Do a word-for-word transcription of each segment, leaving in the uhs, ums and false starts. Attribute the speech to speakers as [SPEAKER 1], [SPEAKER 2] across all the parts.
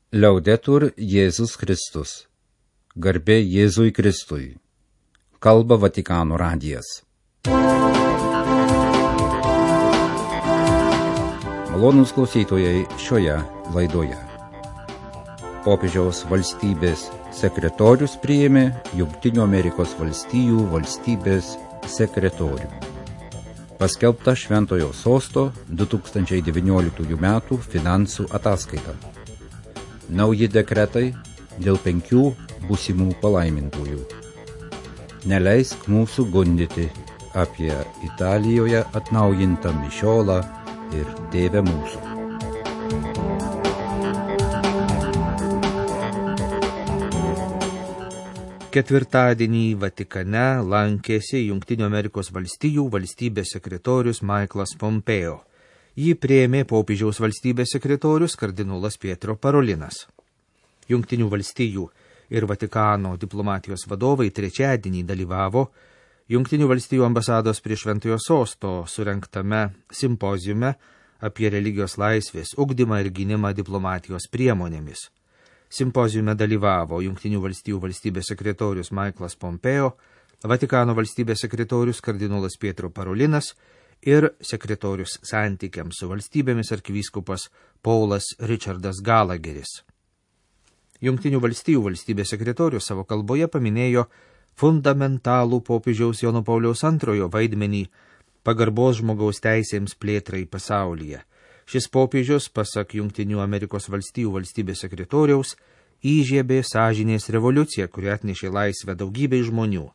[SPEAKER 1] Liaudetur Jėzus Kristus. Garbė Jėzui Kristui. Kalba Vatikano radijas. Malonūs klausytojai šioje laidoje. Popiežiaus valstybės sekretorius priėmė Jungtinių Amerikos valstijų valstybės sekretorių. Paskelbta Šventojo Sosto du tūkstančiai devynioliktųjų metų finansų ataskaita. Nauji dekretai dėl penkių būsimų palaimintųjų. Neleisk mūsų gundyti apie Italijoje atnaujintą mišiolą ir Tėvę mūsų.
[SPEAKER 2] Ketvirtadienį Vatikane lankėsi Jungtinių Amerikos valstijų valstybės sekretorius Michaelas Pompeo. Jį priėmė popiežiaus valstybės sekretorius kardinolas Pietro Parolinas. Jungtinių valstijų ir Vatikano diplomatijos vadovai trečiadienį dalyvavo Jungtinių valstijų ambasados prie Šventojo Sosto surengtame simpoziume apie religijos laisvės ugdymą ir gynimą diplomatijos priemonėmis. Simpoziume dalyvavo Jungtinių valstijų valstybės sekretorius Michaelas Pompeo, Vatikano valstybės sekretorius kardinolas Pietro Parolinas ir sekretorius santykiams su valstybėmis arkivyskupas Paulas Richardas Gallagheris. Jungtinių valstijų valstybės sekretorius savo kalboje paminėjo fundamentalų popiežiaus Jono Pauliaus antrojo vaidmenį pagarbos žmogaus teisėms plėtrai pasaulyje. Šis popiežius, pasak Jungtinių Amerikos valstijų valstybės sekretoriaus, įžiebė sąžinės revoliuciją, kuri atnešė laisvę daugybei žmonių.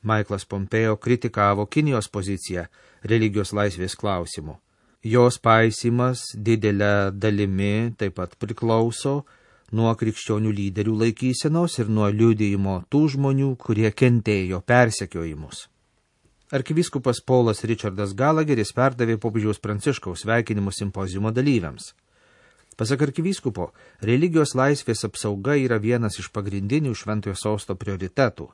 [SPEAKER 2] Michaelas Pompeo kritikavo Kinijos poziciją religijos laisvės klausimu. Jos paisymas didelę dalimi taip pat priklauso nuo krikščionių lyderių laikysenos ir nuo liudijimo tų žmonių, kurie kentėjo persekiojimus. Arkivyskupas Paulas Richardas Gallagheris perdavė popiežiaus Pranciškaus sveikinimus simpoziumo dalyviams. Pasak arkivyskupo, religijos laisvės apsauga yra vienas iš pagrindinių Šventojo Sosto prioritetų.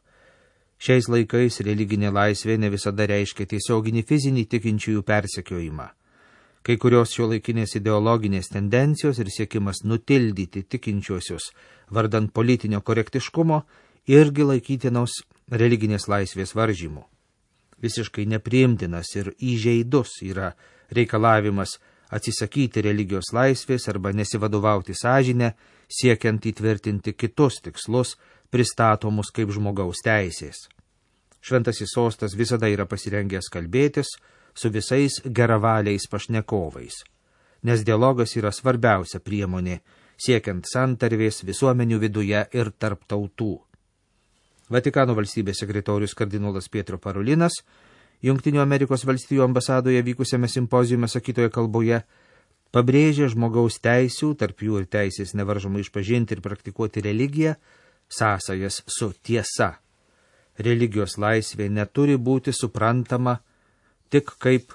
[SPEAKER 2] Šiais laikais religinė laisvė ne visada reiškia tiesioginį fizinį tikinčiųjų persekiojimą. Kai kurios šiuolaikinės ideologinės tendencijos ir siekimas nutildyti tikinčiuosius vardant politinio korektiškumo irgi laikytinos religinės laisvės varžymų. Visiškai nepriimtinas ir įžeidus yra reikalavimas atsisakyti religijos laisvės arba nesivadovauti sąžinę, siekiant įtvirtinti kitus tikslus, pristatomus kaip žmogaus teisės. Šventasis Sostas visada yra pasirengęs kalbėtis su visais geravaliais pašnekovais, nes dialogas yra svarbiausia priemonė, siekiant santarvės visuomenių viduje ir tarp tautų. Vatikano valstybės sekretorius kardinolas Pietro Parolinas Jungtinių Amerikos valstijų ambasadoje vykusiame simpoziume sakytoje kalboje pabrėžė žmogaus teisių, tarp jų ir teisės nevaržomai išpažinti ir praktikuoti religiją, sąsajas su tiesa. Religijos laisvė neturi būti suprantama tik kaip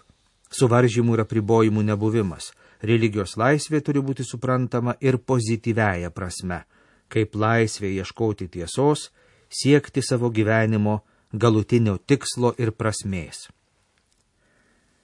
[SPEAKER 2] suvaržymų ir apribojimų nebuvimas. Religijos laisvė turi būti suprantama ir pozityviaja prasme, kaip laisvė ieškoti tiesos, siekti savo gyvenimo galutinio tikslo ir prasmės.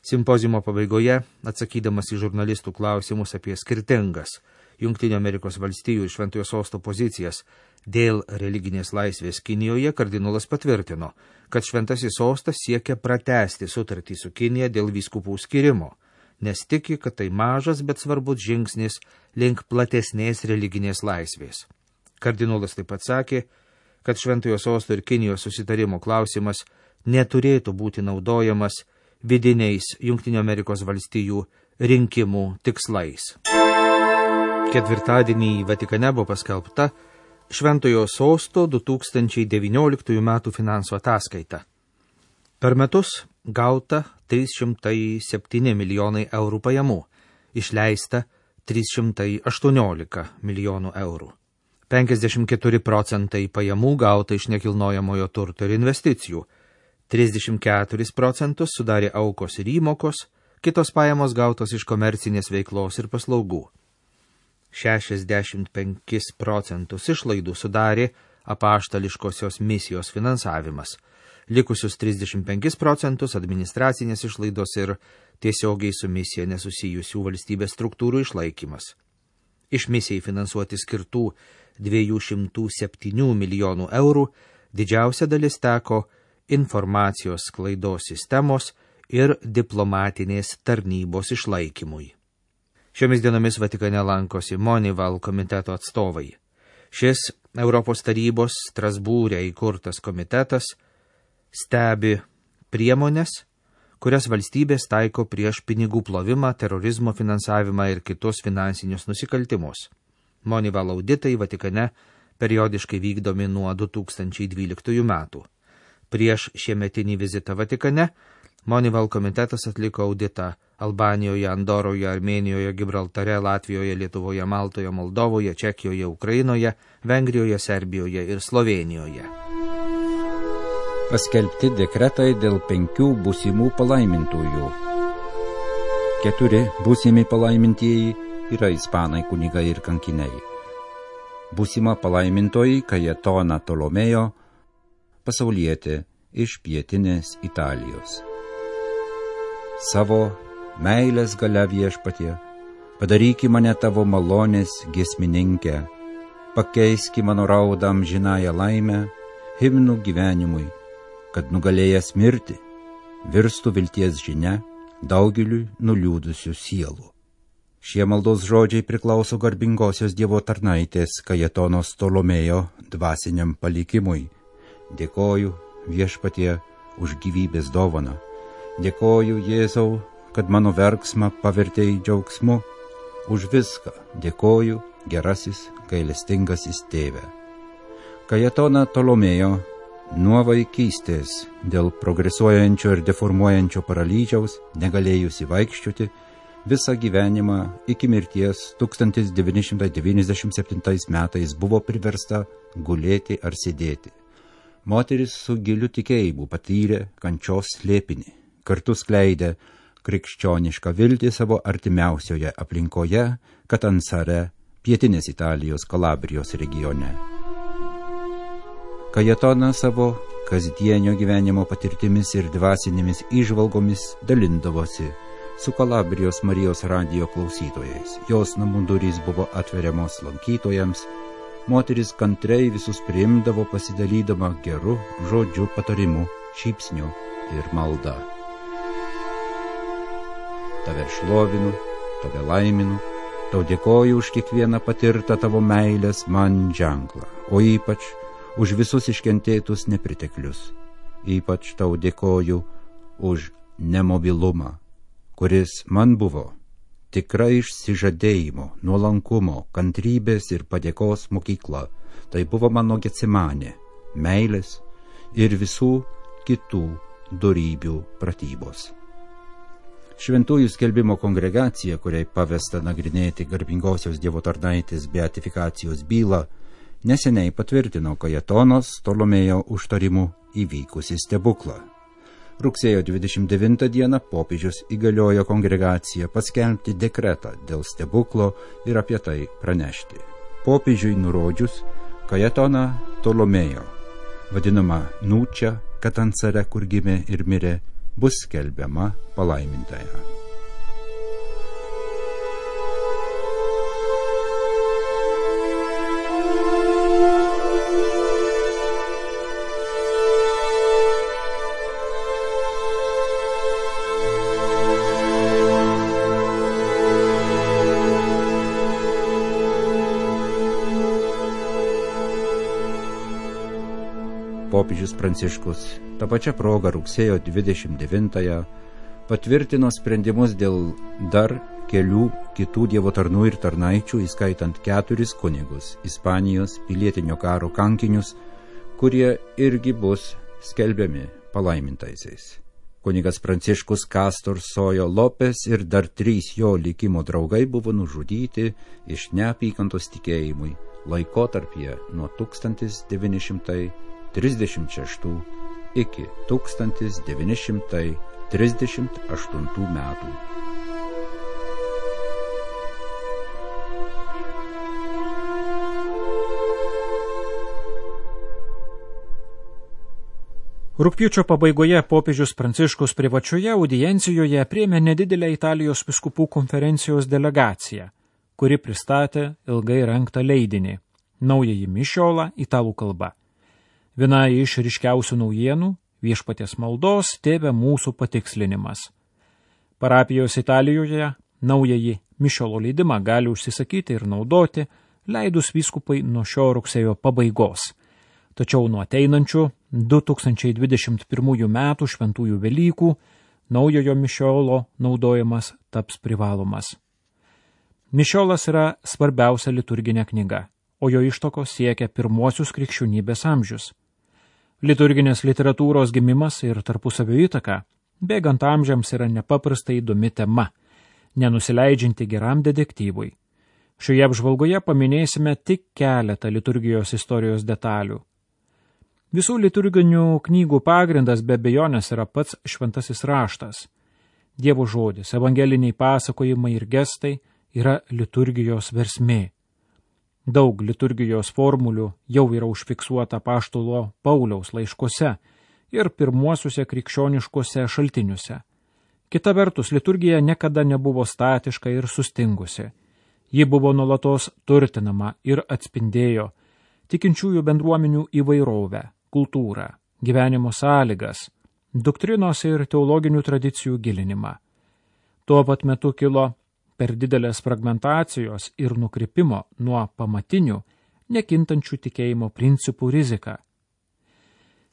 [SPEAKER 2] Simpoziumo pabaigoje, atsakydamas į žurnalistų klausimus apie skirtingas Jungtinių Amerikos valstijų ir Šventojo Sosto pozicijas dėl religinės laisvės Kinijoje, kardinolas patvirtino, kad Šventasis Sostas siekia pratęsti sutartį su Kinija dėl vyskupų skyrimo, nes tiki, kad tai mažas, bet svarbus žingsnis link platesnės religinės laisvės. Kardinolas taip pat sakė, kad Šventojo Sosto ir Kinijos susitarimo klausimas neturėtų būti naudojamas vidiniais Jungtinių Amerikos valstijų rinkimų tikslais. Ketvirtadienį Vatikane buvo paskelbta Šventojo Sosto du tūkstančiai devynioliktųjų metų finansų ataskaita. Per metus gauta trys šimtai septyni milijonai eurų pajamų, išleista trys šimtai aštuoniolika milijonų eurų. penkiasdešimt keturi procentai pajamų gauta iš nekilnojamojo turto ir investicijų, trisdešimt keturis procentus sudarė aukos ir įmokos, kitos pajamos gautos iš komercinės veiklos ir paslaugų. šešiasdešimt penkis procentus išlaidų sudarė apaštališkosios misijos finansavimas, likusius trisdešimt penkis procentus administracinės išlaidos ir tiesiogiai su misija nesusijusių valstybės struktūrų išlaikymas. Iš misijai finansuoti skirtų dviejų šimtų septynių milijonų eurų didžiausia dalis teko informacijos sklaidos sistemos ir diplomatinės tarnybos išlaikymui. Šiomis dienomis Vatikane lankosi Monival komiteto atstovai. Šis Europos tarybos Strasbūre įkurtas komitetas stebi priemonės, kurias valstybės taiko prieš pinigų plovimą, terorizmo finansavimą ir kitus finansinius nusikaltimus. Monival auditai Vatikane periodiškai vykdomi nuo du tūkstančiai dvyliktųjų metų. Prieš šiemetinį vizitą Vatikane Monival komitetas atliko auditą Albanijoje, Andoroje, Armėnijoje, Gibraltare, Latvijoje, Lietuvoje, Maltoje, Moldovoje, Čekijoje, Ukrainoje, Vengrijoje, Serbijoje ir Slovėnijoje.
[SPEAKER 1] Paskelbti dekretai dėl penkių būsimų palaimintųjų. Keturi būsimi palaimintieji yra ispanai kunigai ir kankiniai. Būsima palaimintoji Kajetona Tolomėjo, pasaulietė iš pietinės Italijos. Savo meilės galia Viešpatie, padaryki mane tavo malonės giesmininkę, pakeiski mano raudą amžinąją laimę, himnų gyvenimui, kad nugalėjęs mirti, virstų vilties žinia daugeliui nuliūdusių sielų. Šie maldos žodžiai priklauso garbingosios Dievo tarnaitės Kajetonos Tolomėjo dvasiniam palikimui. Dėkoju Viešpatie už gyvybės dovaną. Dėkoju Jėzau, kad mano verksmą pavertei džiaugsmu. Už viską dėkoju gerasis gailestingasis tėve. Kajetona Tolomėjo nuo vaikystės dėl progresuojančio ir deformuojančio paralyžiaus negalėjusi vaikščioti, visą gyvenimą iki mirties tūkstantis devyni šimtai devyniasdešimt septintais metais buvo priversta gulėti ar sėdėti. Moteris su giliu tikėjimu patyrė kančios slėpinį, kartu skleidė krikščionišką viltį savo artimiausioje aplinkoje, Katansare, pietinės Italijos Kalabrijos regione. Kajetona savo kasdienio gyvenimo patirtimis ir dvasinėmis įžvalgomis dalindavosi su Kalabrijos Marijos radijo klausytojais. Jos namų durys buvo atveriamos lankytojams, moteris kantriai visus priimdavo pasidalydama geru žodžiu, patarimu, šypsniu ir malda. Tave šlovinu, tave laiminu, tau dėkoju už kiekvieną patirtą tavo meilės man ženklą, o ypač už visus iškentėtus nepriteklius. Ypač tau dėkoju už nemobilumą, kuris man buvo tikra išsižadėjimo, nuolankumo, kantrybės ir padėkos mokykla. Tai buvo mano Getsemanė, meilės ir visų kitų dorybių pratybos. Šventųjų skelbimo kongregacija, kuriai pavesta nagrinėti garbingosios Dievo tarnaitės beatifikacijos bylą, neseniai patvirtino Kajetonos Tolomėjo užtarimu įvykusi stebuklą. Rugsėjo dvidešimt devintą dieną popiežius įgaliojo kongregaciją paskelbti dekretą dėl stebuklo ir apie tai pranešti. Popiežiui nurodžius Kajetoną Tolomėjo, vadinama Nučia, Katansare, kur gimė ir mirė, bus skelbiama palaimintąja. Popiežius Pranciškus tą pačią progą rugsėjo dvidešimt devintąją patvirtino sprendimus dėl dar kelių kitų Dievo tarnų ir tarnaičių, įskaitant keturis kunigus, Ispanijos pilietinio karo kankinius, kurie irgi bus skelbiami palaimintaisiais. Kunigas Pranciškus Kastor Sojo Lopes ir dar trys jo likimo draugai buvo nužudyti iš neapykantos tikėjimui laikotarpyje nuo tūkstantis devyni šimtai trisdešimt šeštų iki tūkstantis devyni šimtai trisdešimt aštuntų metų.
[SPEAKER 3] Rugpjūčio pabaigoje popiežius Pranciškus privačioje audiencijoje priėmė nedidelę Italijos vyskupų konferencijos delegaciją, kuri pristatė ilgai rengtą leidinį Naująjį mišiolą italų kalba. Viena iš ryškiausių naujienų – Viešpaties maldos Tėve mūsų patikslinimas. Parapijos Italijoje Naująjį mišiolo leidimą gali užsisakyti ir naudoti, leidus vyskupai nuo šio rugsėjo pabaigos. Tačiau nuo ateinančių du tūkstančiai dvidešimt pirmųjų metų šventųjų Velykų Naujojo mišiolo naudojimas taps privalomas. Mišiolas yra svarbiausia liturginė knyga, o jo ištokos siekia pirmuosius krikščionybės amžius. Liturginės literatūros gimimas ir tarpusavio įtaka bėgant amžiams yra nepaprastai įdomi tema, nenusileidžianti geram detektyvui. Šioje apžvalgoje paminėsime tik keletą liturgijos istorijos detalių. Visų liturginių knygų pagrindas be abejonės yra pats šventasis raštas. Dievo žodis, evangeliniai pasakojimai ir gestai yra liturgijos versmė. Daug liturgijos formulių jau yra užfiksuota apaštalo Pauliaus laiškuose ir pirmuosiuose krikščioniškuose šaltiniuose. Kita vertus, liturgija niekada nebuvo statiška ir sustingusi. Ji buvo nuolatos turtinama ir atspindėjo tikinčiųjų bendruomenių įvairovę, kultūrą, gyvenimo sąlygas, doktrinos ir teologinių tradicijų gilinimą. Tuo pat metu kilo per didelės fragmentacijos ir nukrypimo nuo pamatinių, nekintančių tikėjimo principų rizika.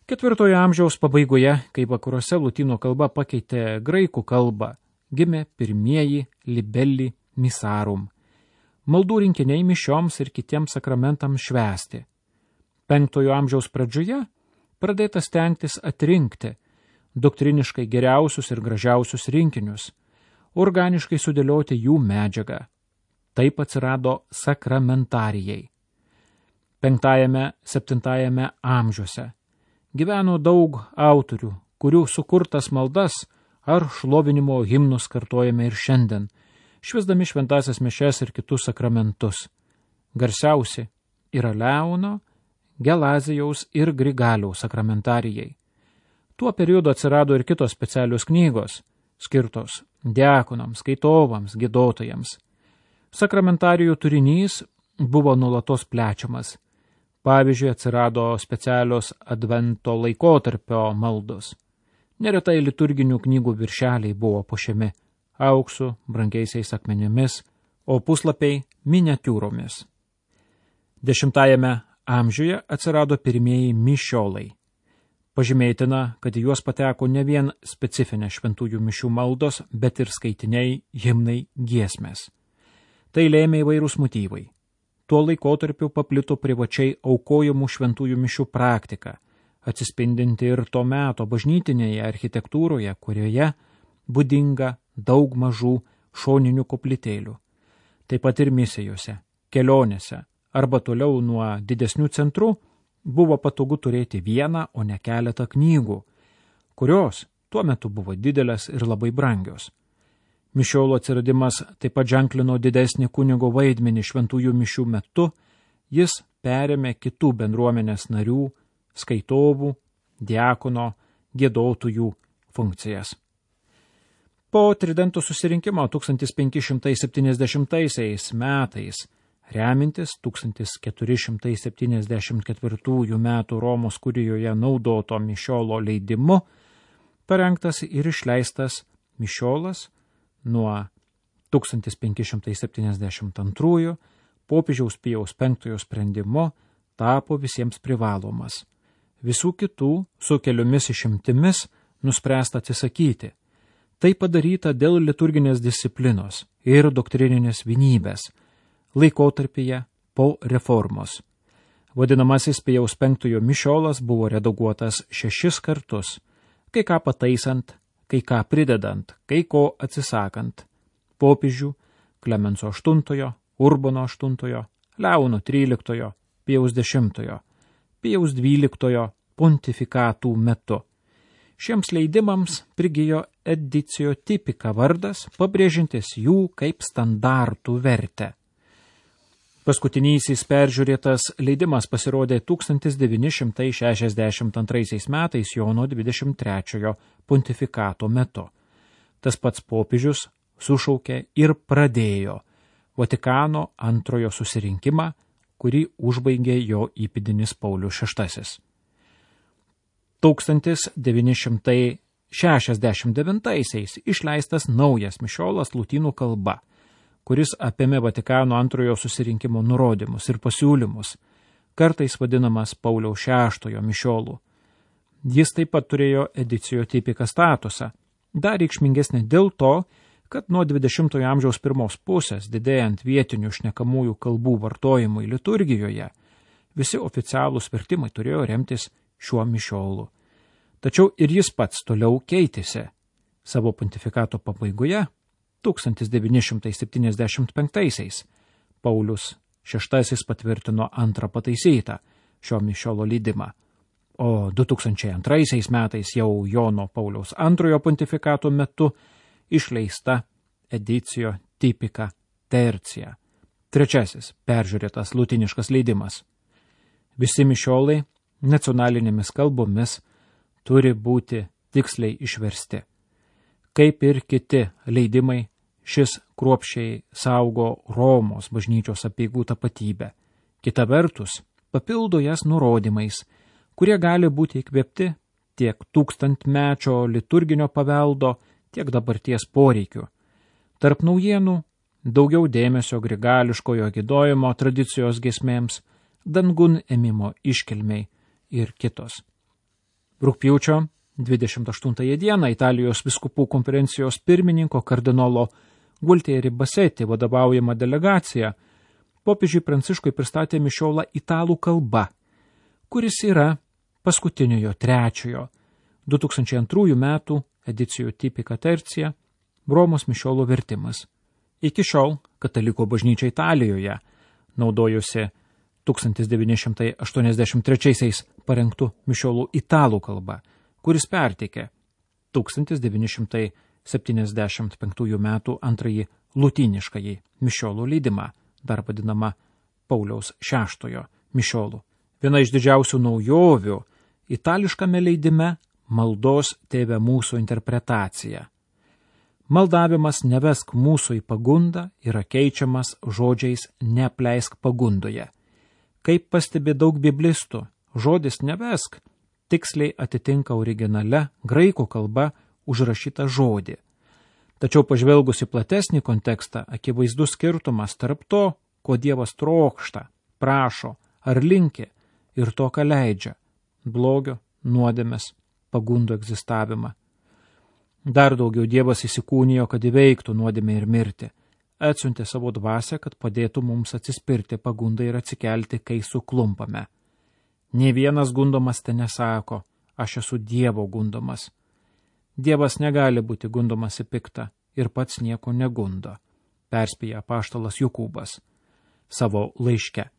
[SPEAKER 3] Ketvirtojo amžiaus pabaigoje, kai vakaruose lotynų kalba pakeitė graikų kalbą, gimė pirmieji libelli misarum. Maldų rinkiniai mišioms ir kitiems sakramentams švęsti. Penktojo amžiaus pradžioje pradėta stengtis atrinkti doktriniškai geriausius ir gražiausius rinkinius, organiškai sudėlioti jų medžiagą. Taip atsirado sakramentarijai. Penktajame, septintajame amžiuose gyveno daug autorių, kurių sukurtas maldas ar šlovinimo himnus kartojame ir šiandien, švęsdami šventasias mišias ir kitus sakramentus. Garsiausi yra Leono, Gelazijaus ir Grigaliaus sakramentarijai. Tuo periodu atsirado ir kitos specialios knygos, skirtos diakonams, skaitovams, giedotojams. Sakramentarijų turinys buvo nuolatos plečiamas. Pavyzdžiui, atsirado specialios advento laikotarpio maldos. Neretai liturginių knygų viršeliai buvo puošiami auksu, brangiaisiais akmenimis, o puslapiai miniatiūromis. Dešimtajame amžiuje atsirado pirmieji mišiolai. Pažymėtina, kad į juos pateko ne vien specifinė šventųjų mišių maldos, bet ir skaitiniai, himnai, giesmės. Tai lėmė įvairūs motyvai. Tuo laikotarpiu paplito privačiai aukojamų šventųjų mišių praktika, atsispindinti ir to meto bažnytinėje architektūroje, kurioje būdinga daug mažų šoninių koplytėlių. Taip pat ir misijose, kelionėse arba toliau nuo didesnių centrų buvo patogu turėti vieną, o ne keletą knygų, kurios tuo metu buvo didelės ir labai brangios. Mišiolo atsiradimas taip pat ženklino didesnį kunigo vaidmenį šventųjų mišių metu, jis perėmė kitų bendruomenės narių, skaitovų, diakono, giedotojų funkcijas. Po Tridento susirinkimo tūkstantis penki šimtai septyniasdešimtaisiais metais, remintis tūkstantis keturi šimtai septyniasdešimt ketvirtųjų metų Romos kurijoje naudoto mišiolo leidimu, parengtas ir išleistas mišiolas nuo tūkstantis penki šimtai septyniasdešimt antrųjų popiežiaus Pijaus penktojo sprendimu tapo visiems privalomas. Visų kitų su keliomis išimtimis nuspręsta atsisakyti. Tai padaryta dėl liturginės disciplinos ir doktrininės vienybės laikotarpyje po reformos. Vadinamasis Pijaus penktojo mišiolas buvo redaguotas šešis kartus, kai ką pataisant, kai ką pridedant, kai ko atsisakant. Popiežių Klemenso aštuntojo, Urbono aštuntojo, Leono tryliktojo, Pijaus dešimtojo, Pijaus dvyliktojo pontifikatų metu. Šiems leidimams prigijo edicijo tipika vardas, pabrėžintis jų kaip standartų vertę. Paskutinysis peržiūrėtas leidimas pasirodė tūkstantis devyni šimtai šešiasdešimt antraisiais metais Jono dvidešimt trečiojo pontifikato metu. Tas pats popiežius sušaukė ir pradėjo Vatikano antrojo susirinkimą, kurį užbaigė jo įpėdinis Paulius šeštasis. tūkstantis devyni šimtai šešiasdešimt devintaisiais išleistas naujas mišiolas lotynų kalba, kuris apėmė Vatikano antrojo susirinkimo nurodymus ir pasiūlymus, kartais vadinamas Pauliaus šeštojo mišiolų. Jis taip pat turėjo edicijo tipika statusą, dar reikšmingesnė dėl to, kad nuo dvidešimtojo amžiaus pirmos pusės, didėjant vietinių šnekamųjų kalbų vartojimui liturgijoje, visi oficialūs vertimai turėjo remtis šiuo mišiolu. Tačiau ir jis pats toliau keitėsi. Savo pontifikato pabaigoje, tūkstantis devyni šimtai septyniasdešimt penktaisiais, Paulius šeštasis patvirtino antrą pataisytą šio mišiolo leidimą, o du tūkstančiai antraisiais metais jau Jono Pauliaus antrojo pontifikato metu išleista edicijo tipika tercija, trečiasis peržiūrėtas lotiniškas leidimas. Visi mišiolai nacionalinėmis kalbomis turi būti tiksliai išversti. Kaip ir kiti leidimai, šis kruopščiai saugo Romos bažnyčios apeigų tapatybę. Kita vertus, papildo jas nurodymais, kurie gali būti įkvėpti tiek tūkstantmečio liturginio paveldo, tiek dabarties poreikių. Tarp naujienų daugiau dėmesio grigališkojo giedojimo tradicijos giesmėms, dangun ėmimo iškilmei ir kitos. Rugpjūčio dvidešimt aštuntąją dieną Italijos vyskupų konferencijos pirmininko kardinolo Gualtieri Bassetti vadovaujama delegacija popiežiui Pranciškui pristatė mišiolą italų kalba, kuris yra paskutiniojo trečiojo du tūkstančiai antrųjų metų edicijų tipika tercija Romos mišiolo vertimas. Iki šiol katalikų bažnyčia Italijoje naudojosi tūkstantis devyni šimtai aštuoniasdešimt trečiaisiais parengtų mišiolų italų kalba, kuris perteikė tūkstantis devyni šimtai septyniasdešimt penktųjų metų antrąjį lotyniškąjį mišiolų leidimą, dar vadinama Pauliaus šeštojo mišiolų. Viena iš didžiausių naujovių itališkame leidime maldos Tėve mūsų interpretacija. Maldavimas nevesk mūsų į pagundą yra keičiamas žodžiais neapleisk pagundoje. Kaip pastebi daug biblistų, žodis nevesk tiksliai atitinka originale graikų kalba užrašytą žodį. Tačiau pažvelgus į platesnį kontekstą, akivaizdus skirtumas tarp to, ko Dievas trokšta, prašo ar linki, ir to, ką leidžia – blogio, nuodėmės, pagundų egzistavimą. Dar daugiau Dievas įsikūnijo, kad įveiktų nuodėmę ir mirtį. Atsiuntė savo dvasią, kad padėtų mums atsispirti pagundai ir atsikelti, kai suklumpame. Nė vienas gundomas te nesako, aš esu Dievo gundomas. Dievas negali būti gundomas į piktą ir pats nieko negundo, perspėja apaštalas Jokūbas savo laiške.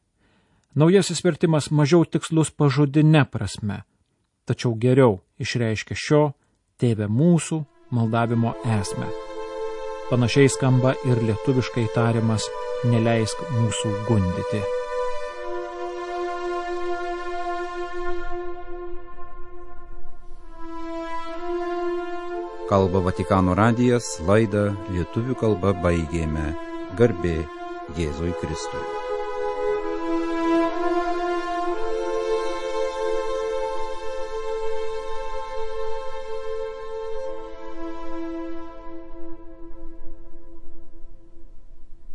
[SPEAKER 3] Naujasis vertimas mažiau tikslus pažodine prasme, tačiau geriau išreiškia šio Tėve mūsų maldavimo esmę. Panašiai skamba ir lietuviškai tariamas neleisk mūsų gundyti.
[SPEAKER 1] Kalba Vatikano radijas, laidą lietuvių kalba baigėme. Garbė Jėzui Kristui.